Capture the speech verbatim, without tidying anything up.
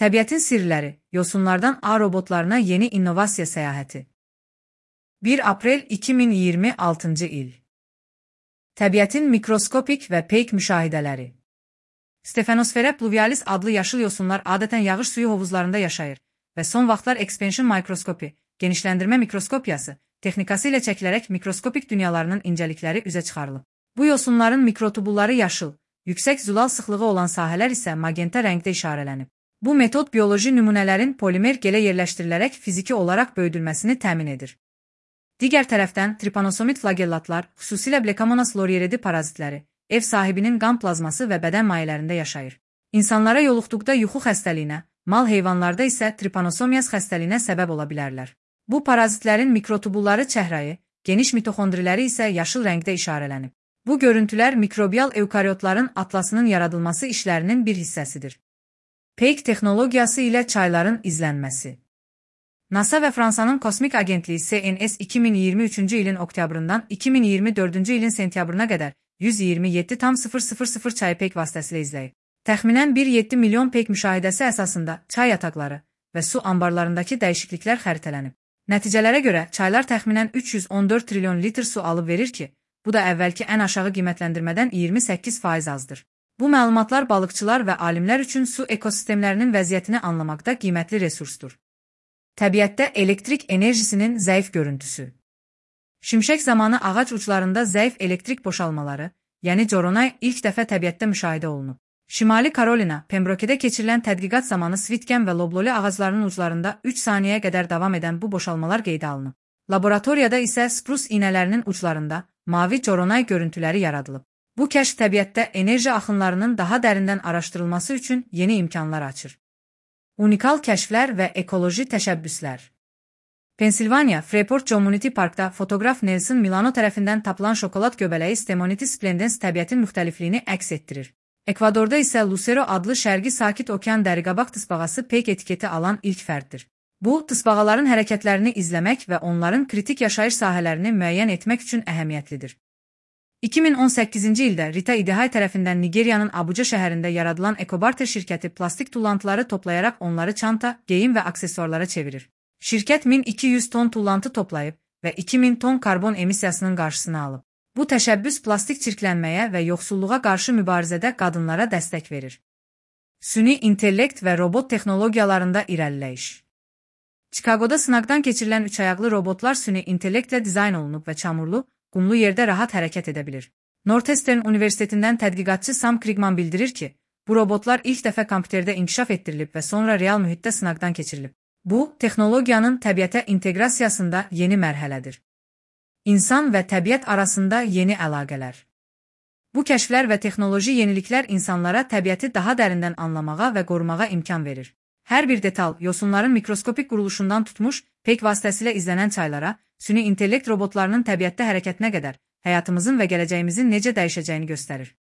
Təbiətin sirləri, yosunlardan ağ robotlarına yeni innovasiya səyahəti. bir aprel iki min iyirmi altıncı il. Təbiətin mikroskopik və peyk müşahidələri. Stefanosfera pluvialis adlı yaşıl yosunlar adətən yağış suyu hovuzlarında yaşayır və son vaxtlar ekspansion mikroskopi, genişləndirmə mikroskopiyası, texnikası ilə çəkilərək mikroskopik dünyalarının incəlikləri üzə çıxarılıb. Bu yosunların mikrotubulları yaşıl, yüksək zülal sıxlığı olan sahələr isə magenta rəngdə işarələnib. Bu metod bioloji nümunələrin polimer gelə yerləşdirilərək fiziki olaraq böyüdülməsini təmin edir. Digər tərəfdən, tripanosomid flagellatlar, xüsusilə Blecomonas lorieridi parazitləri, ev sahibinin qan plazması və bədən mayələrində yaşayır. İnsanlara yoluxduqda yuxu xəstəliyinə, mal heyvanlarda isə tripanosomiaz xəstəliyinə səbəb ola bilərlər. Bu parazitlərin mikrotubulları çəhrayı, geniş mitoxondriləri isə yaşıl rəngdə işarələnib. Bu görüntülər mikrobial evkaryotların atlasının yaradılması işlərinin bir hissəsidir. Peyk texnologiyası ilə çayların izlənməsi. NASA və Fransanın Kosmik Agentliyi C N S iki min iyirmi üçüncü ilin oktyabrından iki min iyirmi dördüncü ilin sentyabrına qədər yüz iyirmi yeddi min çayı peyk vasitəsilə izləyib. Təxminən bir nöqtə yeddi milyon peyk müşahidəsi əsasında çay yataqları və su anbarlarındakı dəyişikliklər xəritələnib. Nəticələrə görə çaylar təxminən üç yüz on dörd trilyon litr su alıb verir ki, bu da əvvəlki ən aşağı qiymətləndirmədən iyirmi səkkiz faiz azdır. Bu məlumatlar balıqçılar və alimlər üçün su ekosistemlərinin vəziyyətini anlamaqda qiymətli resursdur. Təbiətdə elektrik enerjisinin zəif görüntüsü. Şimşək zamanı ağac uclarında zəif elektrik boşalmaları, yəni coronay ilk dəfə təbiətdə müşahidə olunub. Şimali Karolina, Pembroke'də keçirilən tədqiqat zamanı svitken və lobloli ağaclarının uclarında üç saniyəyə qədər davam edən bu boşalmalar qeydə alınıb. Laboratoriyada isə sprus iynələrinin uclarında mavi coronay görüntüləri yaradılıb. Bu kəşf təbiətdə enerji axınlarının daha dərindən araşdırılması üçün yeni imkanlar açır. Unikal kəşflər və ekoloji təşəbbüslər. Pensilvaniya, Freeport Community Parkda fotoqraf Nelson Milano tərəfindən tapılan şokolad göbələyi Stemonitis splendens təbiətin müxtəlifliyini əks etdirir. Ekvadorda isə Lucero adlı şərqi sakit okean dəriqabaq tısbağası peyk etiketi alan ilk fərddir. Bu, tısbağaların hərəkətlərini izləmək və onların kritik yaşayış sahələrini müəyyən etmək üçün əhəmiyyətlidir. iki min on səkkizinci ildə Rita Idihay tərəfindən Nigeriyanın Abuja şəhərində yaradılan Ecobarter şirkəti plastik tullantıları toplayaraq onları çanta, geyim və aksesuarlara çevirir. Şirkət min iki yüz ton tullantı toplayıb və iki min ton karbon emissiyasının qarşısını alıb. Bu təşəbbüs plastik çirklənməyə və yoxsulluğa qarşı mübarizədə qadınlara dəstək verir. Süni intellekt və robot texnologiyalarında irəliləyiş. Chicagoda sınaqdan keçirilən üç ayaqlı robotlar süni intellektlə dizayn olunub və çamurlu, qumlu yerdə rahat hərəkət edə bilir. Northeastern Universitetindən tədqiqatçı Sam Krigman bildirir ki, bu robotlar ilk dəfə kompüterdə inkişaf etdirilib və sonra real mühitdə sınaqdan keçirilib. Bu, texnologiyanın təbiətə inteqrasiyasında yeni mərhələdir. İnsan və təbiət arasında yeni əlaqələr. Bu kəşflər və texnoloji yeniliklər insanlara təbiəti daha dərindən anlamağa və qorumağa imkan verir. Hər bir detal, yosunların mikroskopik quruluşundan tutmuş, peyk vasitəsilə izlənən çaylara, süni intellekt robotlarının təbiətdə hərəkətinə qədər həyatımızın və gələcəyimizin necə dəyişəcəyini göstərir.